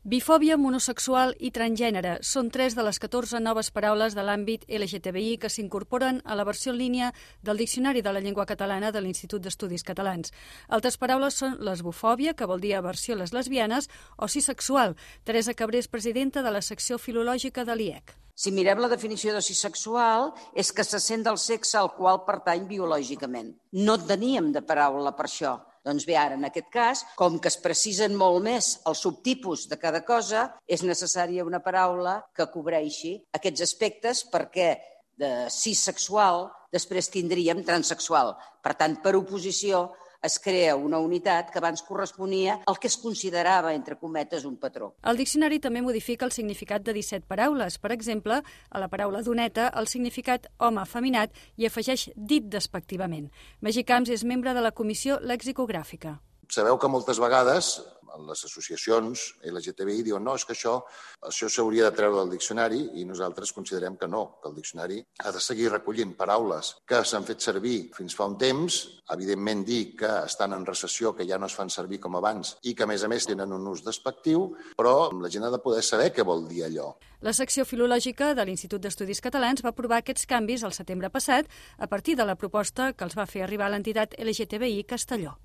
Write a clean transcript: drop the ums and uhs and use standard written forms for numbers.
Bifòbia, monosexual i transgènere són 3 de les 14 noves paraules de l'àmbit LGTBI que s'incorporen a la versió en línia del Diccionari de la Llengua Catalana de l'Institut d'Estudis Catalans. Altres paraules són lesbofòbia, que vol dir aversió a les lesbianes, o cisexual. Teresa Cabré és presidenta de la secció filològica de l'IEC. Si mirem la definició de cisexual, és que se sent del sexe al qual pertany biològicament. No teníem de paraula per això. Doncs bé, ara, en aquest cas, com que es precisen molt més els subtipus de cada cosa, és necessària una paraula que cobreixi aquests aspectes perquè de cissexual després tindríem transsexual. Per tant, per oposició, es crea una unitat que abans corresponia al que es considerava, entre cometes, un patró. El diccionari també modifica el significat de 17 paraules. Per exemple, a la paraula doneta, el significat home afeminat i afegeix dit despectivament. Magí Camps és membre de la Comissió Lexicogràfica. Sabeu que moltes vegades les associacions LGTBI diuen no, és que això s'hauria de treure del diccionari i nosaltres considerem que no, que el diccionari ha de seguir recollint paraules que s'han fet servir fins fa un temps, evidentment dir que estan en recessió, que ja no es fan servir com abans i que a més tenen un ús despectiu, però la gent ha de poder saber què vol dir allò. La secció filològica de l'Institut d'Estudis Catalans va aprovar aquests canvis el setembre passat a partir de la proposta que els va fer arribar l'entitat LGTBI Castelló.